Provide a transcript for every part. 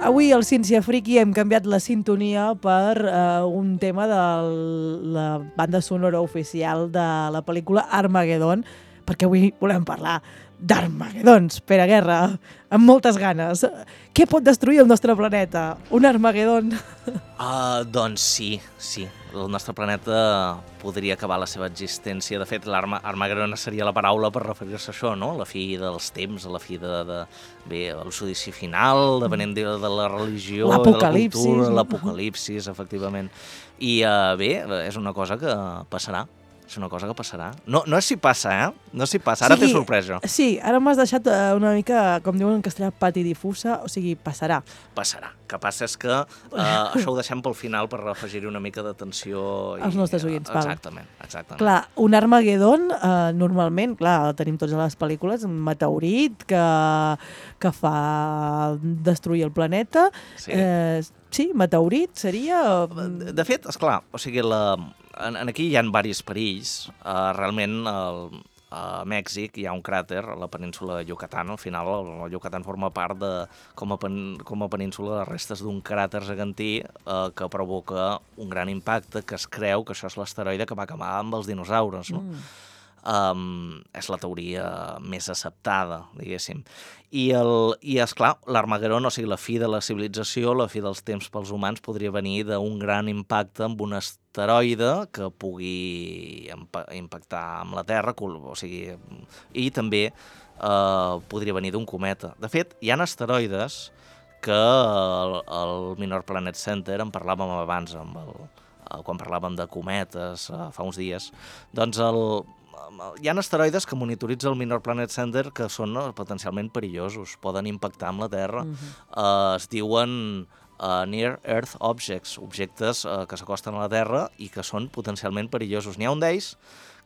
Avui al Ciència Friki hem canviat la sintonia per un tema de la banda sonora oficial de la pel·lícula Armageddon, perquè avui volem parlar d'Armagedons, Pere Guerra, amb moltes ganes. Què pot destruir el nostre planeta? Un Armagedon? Doncs sí. El nostre planeta podria acabar la seva existència. De fet, l'Armagedon seria la paraula per referir-se a això, no? La fi dels temps, la fi bé, el judici final, depenent de la religió, l'apocalipsis, de la cultura, l'apocalipsis, efectivament. I bé, és una cosa que passarà. És una cosa que passarà. No és si passa, No és si passa. Ara té sorpresa. Sí, ara m'has deixat una mica, com diuen en castellà, pati difusa, o sigui, passarà. Passarà. El que passa és que això ho deixem pel final per afegir-hi una mica d'atenció. Als nostres oients, val. Exactament. Clar, un Armagedon, normalment, clar, tenim tots a les pel·lícules, un meteorit que fa destruir el planeta. Sí, meteorit seria... De fet, esclar, o sigui, aquí hi ha diversos perills. Realment, a Mèxic hi ha un cràter, a la península de Yucatán. Al final, el Yucatán forma part com a península de restes d'un cràter gegantí que provoca un gran impacte, que es creu que això és l'asteroide que va acabar amb els dinosaures, no? És la teoria més acceptada, diguéssim. I esclar, l'Armagedon, o sigui, la fi de la civilització, la fi dels temps pels humans, podria venir d'un gran impacte amb un asteroide que pugui impactar amb la Terra, o sigui, i també podria venir d'un cometa. De fet, hi ha asteroides que el Minor Planet Center en parlàvem abans, quan parlàvem de cometes fa uns dies, doncs hi ha asteroides que monitoritza el Minor Planet Center que són potencialment perillosos, poden impactar amb la Terra. Es diuen Near Earth Objects, objectes que s'acosten a la Terra i que són potencialment perillosos. N'hi ha un d'ells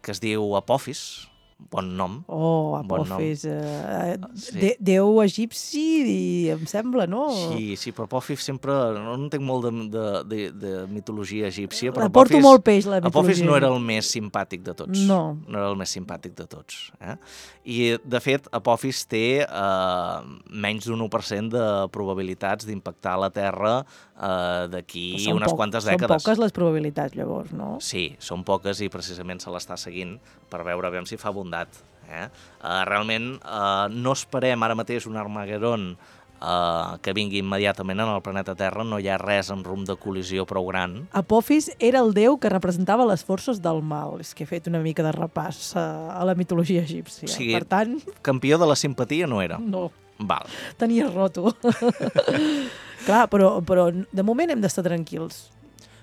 que es diu Apophis, bon nom. Oh, Apophis. Sí. Déu egipci, em sembla, no? Sí, però Apophis sempre... No entenc molt de mitologia egípcia, però porto molt peix, la mitologia. Apophis no era el més simpàtic de tots. No era el més simpàtic de tots. I, de fet, Apophis té menys d'un 1% de probabilitats d'impactar la Terra d'aquí unes quantes dècades. Són poques les probabilitats, llavors, no? Sí, són poques i precisament se l'està seguint per veure si fa bondat. Realment no esperem ara mateix un Armagedon que vingui immediatament en el planeta Terra, no hi ha res en rumb de col·lisió prou gran. Apophis era el déu que representava les forces del mal. És que he fet una mica de repàs a la mitologia egípcia. O sigui, per tant... campió de la simpatia no era. No. Val. Tenia roto. Clar, però de moment hem d'estar tranquils.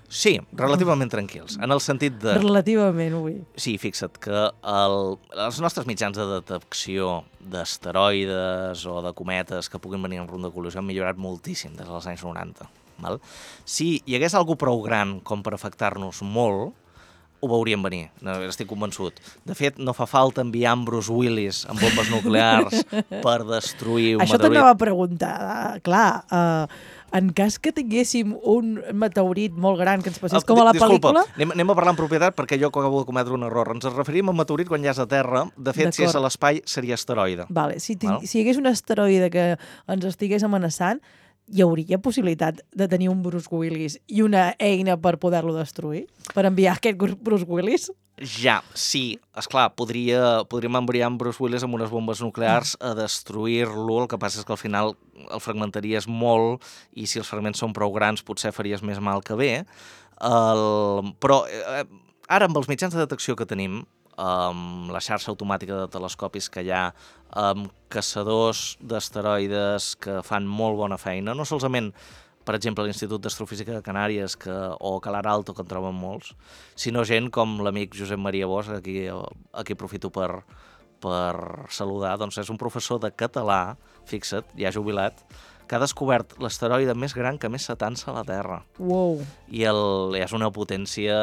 Sí, relativament tranquils, en el sentit de... Relativament, ui. Sí, fixa't que els nostres mitjans de detecció d'asteroides o de cometes que puguin venir en rumb de col·lisió han millorat moltíssim des dels anys 90. Val? Si hi hagués algú prou gran com per afectar-nos molt, ho veuríem venir, estic convençut. De fet, no fa falta enviar en Bruce Willis amb bombes nuclears per destruir un meteorit. Això t'anava a preguntar. Clar, en cas que tinguéssim un meteorit molt gran que ens passés com a la pel·lícula... Disculpa, anem a parlar en propietat perquè jo acabo de cometre un error. Ens referim a meteorit quan ja és a terra. De fet, si és a l'espai, seria asteroide. Vale. Si hi hagués un asteroide que ens estigués amenaçant, hi hauria possibilitat de tenir un Bruce Willis i una eina per poder-lo destruir? Per enviar aquest Bruce Willis? Ja, sí. Esclar, podríem enviar en Bruce Willis amb unes bombes nuclears a destruir-lo. El que passa és que al final el fragmentaries molt i si els fragments són prou grans potser faries més mal que bé. Però ara amb els mitjans de detecció que tenim, amb la xarxa automàtica de telescopis que hi ha, amb caçadors d'asteroides que fan molt bona feina, no solament, per exemple, l'Institut d'Astrofísica de Canàries o Calar Alto, que en troben molts, sinó gent com l'amic Josep Maria Bosch, a qui aprofito per saludar, doncs és un professor de català, fixa't, ja jubilat, que ha descobert l'asteroide més gran que més s'atansa a la Terra. Wow. I és una potència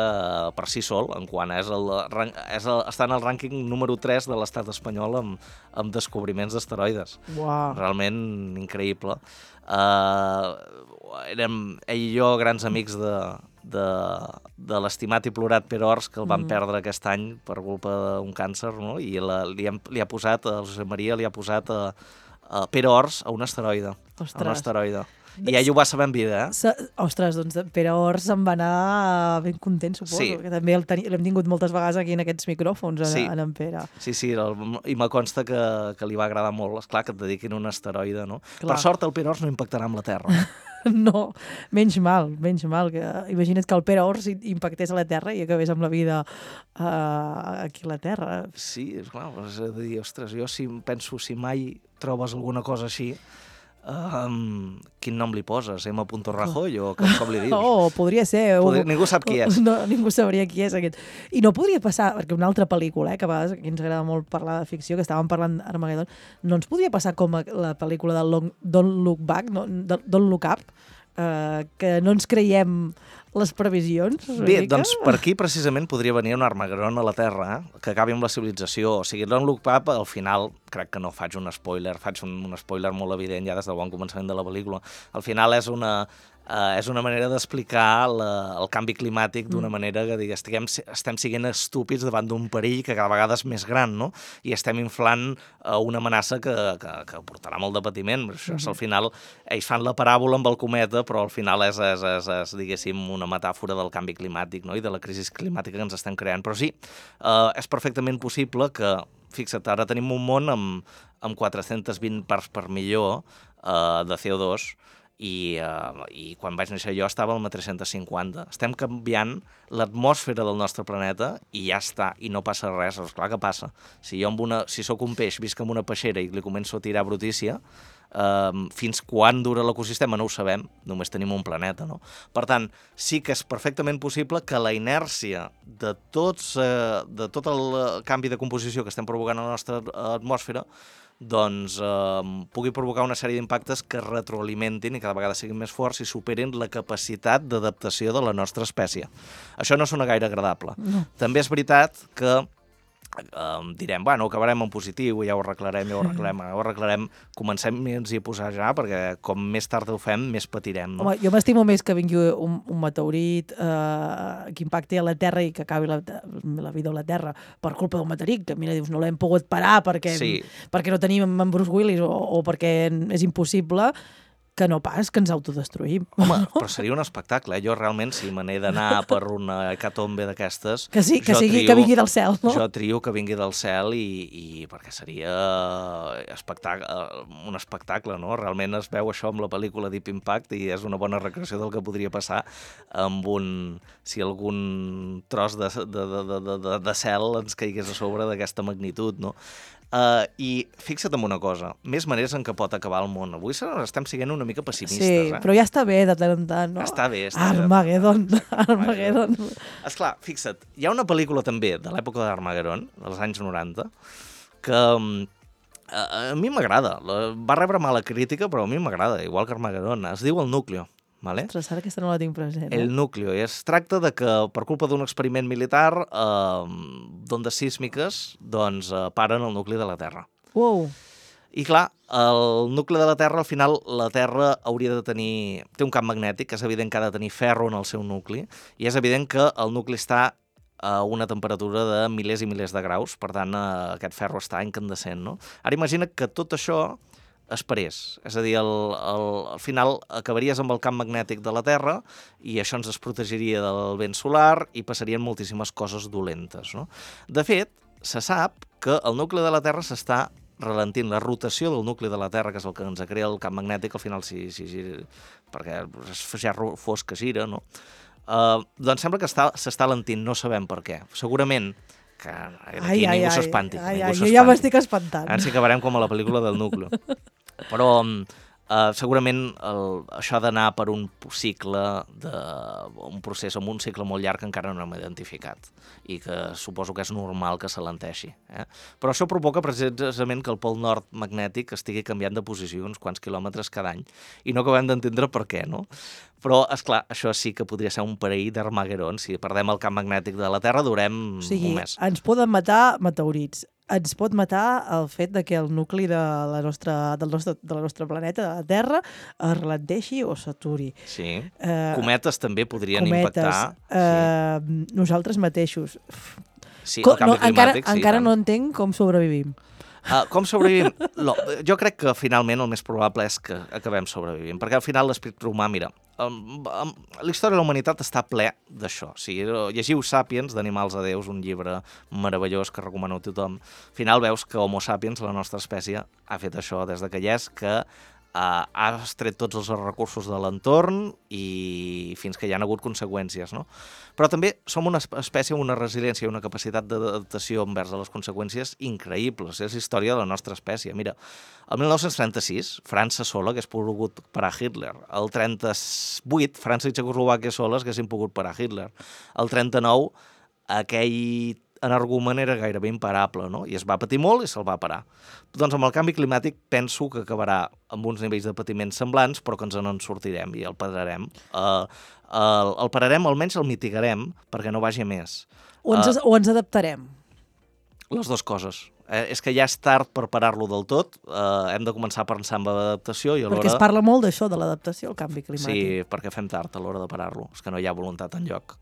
per si sol, en quant està en el rànquing número 3 de l'estat espanyol amb descobriments d'asteroides. Wow. Realment increïble. Érem ell i jo grans amics de l'estimat i plorat Pere Ors, que el van perdre aquest any per culpa d'un càncer, no? I li ha posat, el Josep Maria li ha posat Pere Ors a un asteroide. Ostres. A un asteroide. I ell ho va saber en vida, Ostres, doncs Pere Ors se'n va anar ben content, suposo, Sí. que també l'hem tingut moltes vegades aquí en aquests micròfons, Sí. en Pere. Sí, i me consta que li va agradar molt. Esclar, que et dediquin a un asteroide, no? Clar. Per sort, el Pere Ors no impactarà amb la Terra. No, menys mal. Que imagina't que el Pere Ors impactés a la Terra i acabés amb la vida aquí a la Terra. Sí, és clar, és a dir, ostres, jo penso, si mai trobes alguna cosa així, quin nom li poses? M. Rajoy o com li dius? Oh, podria ser. Ningú sap qui és. No, ningú sabria qui és aquest. I no podria passar, perquè una altra pel·lícula, que a vegades aquí ens agrada molt parlar de ficció, que estàvem parlant d'Armageddon, no ens podria passar com la pel·lícula de Don't Look Back, Don't Look Up, que no ens creiem les previsions? Bé, doncs per aquí precisament podria venir un Armageddon a la Terra, que acabi amb la civilització. O sigui, Don't Look Up, al final, crec que no faig un spoiler, faig un spoiler molt evident ja des del bon començament de la pel·lícula. Al final és una manera d'explicar el canvi climàtic d'una manera que estem siguent estúpids davant d'un perill que cada vegada és més gran, no? I estem inflant una amenaça que portarà molt de patiment. Això és, al final, ells fan la paràbola amb el cometa, però al final és diguéssim, una metàfora del canvi climàtic, no? I de la crisi climàtica que ens estem creant. Però sí, és perfectament possible que, fixa't, ara tenim un món amb 420 parts per milió de CO2, i quan vaig néixer jo estava al 350. Estem canviant l'atmosfera del nostre planeta i ja està, i no passa res. És clar que passa. Si sóc un peix, visc en una peixera i li començo a tirar brutícia, fins quan dura l'ecosistema no ho sabem, només tenim un planeta, no? Per tant, sí que és perfectament possible que la inèrcia de tot el canvi de composició que estem provocant a la nostra atmosfera doncs pugui provocar una sèrie d'impactes que retroalimentin i cada vegada siguin més forts i superin la capacitat d'adaptació de la nostra espècie. Això no sona gaire agradable. No. També és veritat que direm, bueno, acabarem en positiu, ja ho arreglarem, comencem-nos-hi a posar ja, perquè com més tard ho fem, més patirem. No? Home, jo m'estimo més que vingui un meteorit que impacti a la Terra i que acabi la vida a la Terra per culpa d'un meteorit, que mira, dius, no l'hem pogut parar perquè no tenim en Bruce Willis o perquè és impossible, que no pas que ens autodestruïm. Home, però seria un espectacle. Jo realment, si me n'he d'anar per una hecatombe d'aquestes... Que vingui del cel, no? Jo trio que vingui del cel i perquè seria un espectacle, no? Realment es veu això amb la pel·lícula Deep Impact i és una bona recreació del que podria passar si algun tros de cel ens caigués a sobre d'aquesta magnitud, no? I fixa't en una cosa, més maneres en què pot acabar el món. Avui estem sent una mica pessimistes. Sí, però ja està bé de tant en tant, no? Està bé. Armageddon. Esclar, fixa't, hi ha una pel·lícula també de l'època d'Armageddon, dels anys 90, que a mi m'agrada. Va rebre mala crítica, però a mi m'agrada, igual que Armageddon. Es diu El Núcleo. Vale? Ostres, ara aquesta no la tinc present. El Núcleo. I es tracta de que, per culpa d'un experiment militar, d'ondes sísmiques, doncs paren el nucli de la Terra. Wow. I clar, el nucli de la Terra, al final, la Terra hauria de tenir... Té un camp magnètic, és evident que ha de tenir ferro en el seu nucli, i és evident que el nucli està a una temperatura de milers i milers de graus, per tant, aquest ferro està incandescent, no? Ara imagina que tot això es parés. És a dir, al final acabaries amb el camp magnètic de la Terra i això ens desprotegiria del vent solar i passarien moltíssimes coses dolentes, no? De fet, se sap que el nucli de la Terra s'està ralentint. La rotació del nucli de la Terra, que és el que ens crea el camp magnètic, al final perquè ja fos que gira, no? Doncs sembla que s'està alentint, no sabem per què. Segurament que aquí ningú s'espanti. Jo ja m'estic espantant. Ara sí que acabarem com a la pel·lícula del Núcleo. Però segurament això ha d'anar per un cicle, un procés amb un cicle molt llarg que encara no hem identificat i que suposo que és normal que s'alenteixi. Però això provoca precisament que el pol nord magnètic estigui canviant de posició uns quants quilòmetres cada any i no acabem d'entendre per què, no? Però, esclar, això sí que podria ser un perill d'Armageddon. Si perdem el camp magnètic de la Terra, durem un mes. O sigui, ens poden matar meteorits. Ens pot matar el fet de que el nucli del nostre planeta, de la Terra, es ralenteixi o s'aturi. Sí. Cometes també podrien impactar. Nosaltres mateixos. Sí, el canvi climàtic. Encara no entenc com sobrevivim. Com sobrevivim? Jo crec que finalment el més probable és que acabem sobrevivint, perquè al final l'esprit romà, mira, la història de la humanitat està ple d'això. O sigui, llegiu Sapiens, d'Animals a Déus, un llibre meravellós que recomano a tothom. Al final veus que Homo sapiens, la nostra espècie, ha fet això des de que hi és, que ha extret tots els recursos de l'entorn i fins que hi ha hagut conseqüències, no? Però també som una espècie amb una resiliència i una capacitat d'adaptació envers a les conseqüències increïbles. És la història de la nostra espècie. Mira, el 1936, França sola hagués pogut parar Hitler. El 38, França i Txecoslovàquia soles haguessin pogut parar Hitler. El 39, aquell energumen era gairebé imparable, no? I es va patir molt i se'l va parar. Doncs amb el canvi climàtic penso que acabarà amb uns nivells de patiment semblants, però que ens en sortirem i el pararem. El pararem, almenys el mitigarem, perquè no vagi a més. O ens adaptarem? Les dues coses. És que ja és tard per parar-lo del tot, hem de començar a pensar en l'adaptació i alhora... Perquè es parla molt d'això, de l'adaptació al canvi climàtic. Sí, perquè fem tard a l'hora de parar-lo. És que no hi ha voluntat enlloc.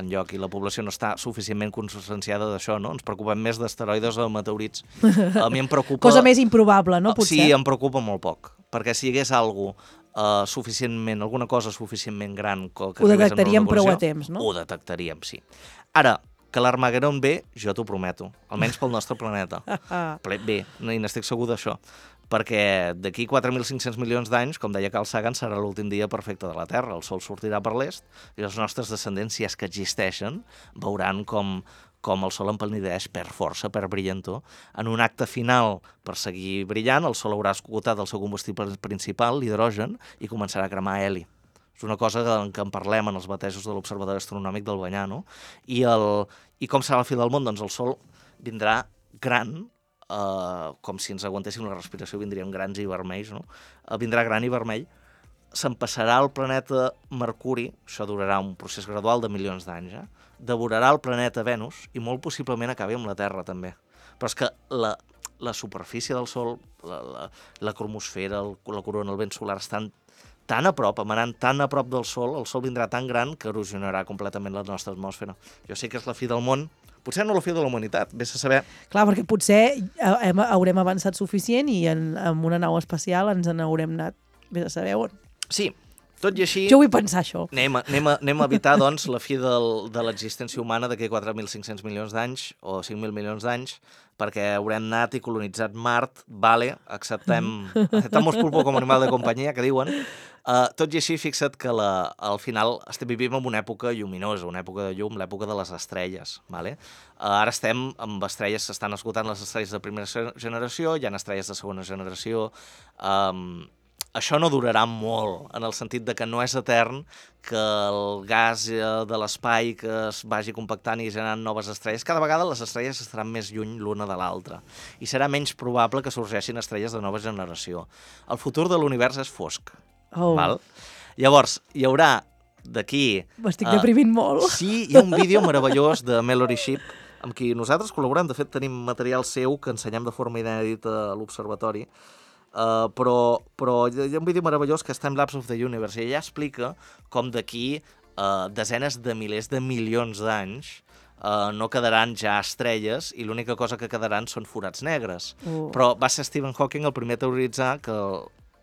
Enlloc, i la població no està suficientment conscienciada d'això, no? Ens preocupem més d'asteroides o de meteorits. A mi em preocupa... Cosa més improbable, no? Potser. Sí, em preocupa molt poc. Perquè si hi hagués alguna cosa suficientment gran... Que ho detectaríem prou a temps, no? Ho detectaríem, sí. Ara, que l'Armagedon ve, jo t'ho prometo, almenys pel nostre planeta. Bé, i n'estic segur d'això, perquè d'aquí 4.500 milions d'anys, com deia Carl Sagan, serà l'últim dia perfecte de la Terra. El Sol sortirà per l'est i els nostres descendents, si és que existeixen, veuran com el Sol empalideix, perd força, perd brillantor. En un acte final per seguir brillant, el Sol haurà esgotat el seu combustible principal, l'hidrogen, i començarà a cremar heli. És una cosa en què en parlem en els batejos de l'Observatori Astronòmic del Banyà, no? I com serà la fi del món? Doncs el Sol vindrà gran, com si ens aguantéssim la respiració, vindríem grans i vermells, no? Vindrà gran i vermell, s'empassarà el planeta Mercuri, això durarà un procés gradual de milions d'anys, devorarà el planeta Venus i molt possiblement acabi amb la Terra, també. Però és que la superfície del Sol, la cromosfera, la corona, el vent solar estan tan a prop, emanant tan a prop del Sol, el Sol vindrà tan gran que erosionarà completament la nostra atmosfera. Jo sé que és la fi del món, potser no la fi de la humanitat, vés a saber. Clar, perquè potser haurem avançat suficient i amb una nau espacial ens n'haurem anat, vés a saber on. Sí, tot i així... Jo vull pensar això. Anem a evitar, doncs, la fi de l'existència humana d'aquí 4.500 milions d'anys o 5.000 milions d'anys, perquè haurem anat i colonitzat Mart, vale, acceptamos pulpo com a animal de companyia, que diuen. Tot i així, fixa't que al final vivim en una època lluminosa, una època de llum, l'època de les estrelles. Vale? Ara estem amb estrelles, s'estan esgotant les estrelles de primera generació, hi ha estrelles de segona generació. Això no durarà molt, en el sentit de que no és etern que el gas de l'espai que es vagi compactant i generant noves estrelles. Cada vegada les estrelles estaran més lluny l'una de l'altra i serà menys probable que sorgeixin estrelles de nova generació. El futur de l'univers és fosc. Val? Llavors, hi haurà d'aquí... M'estic deprimint molt. Sí, hi ha un vídeo meravellós de Mallory Shipp amb qui nosaltres col·laborem. De fet, tenim material seu que ensenyem de forma inèdita a l'Observatori. Però hi ha un vídeo meravellós que és Time Lapse of the Universe i ella explica com d'aquí desenes de milers de milions d'anys no quedaran ja estrelles i l'única cosa que quedaran són forats negres. Però va ser Stephen Hawking el primer a teoritzar que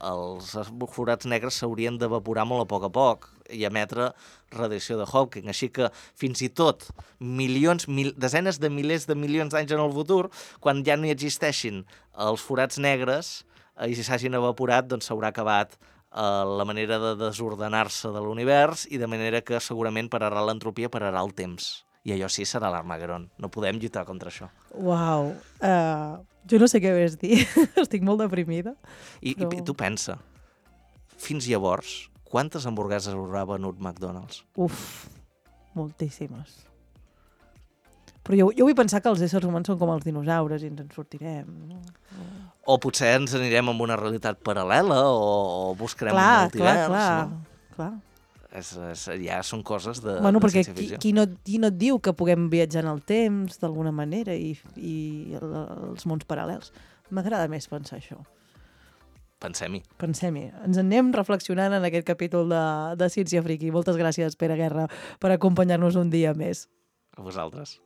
els forats negres s'haurien d'evaporar molt a poc i emetre radiació de Hawking. Així que fins i tot desenes de milers de milions d'anys en el futur, quan ja no hi existeixin els forats negres i si s'hagin evaporat, doncs s'haurà acabat la manera de desordenar-se de l'univers i de manera que segurament pararà l'entropia, pararà el temps. I allò sí serà l'Armagedon. No podem lluitar contra això. Uau. Jo no sé què més dir. Estic molt deprimida. I tu pensa, fins llavors, quantes hamburgueses haurà venut McDonald's? Moltíssimes. Però jo vull pensar que els éssers humans són com els dinosaures i ens en sortirem. No? O potser ens anirem amb una realitat paral·lela o buscarem un multivers. Clar. Ja són coses de ciència ficció. Qui no et diu que puguem viatjar en el temps d'alguna manera i els mons paral·lels? M'agrada més pensar això. Pensem-hi. Ens anem reflexionant en aquest capítol de Ciència Friki. Moltes gràcies, Pere Guerra, per acompanyar-nos un dia més. A vosaltres.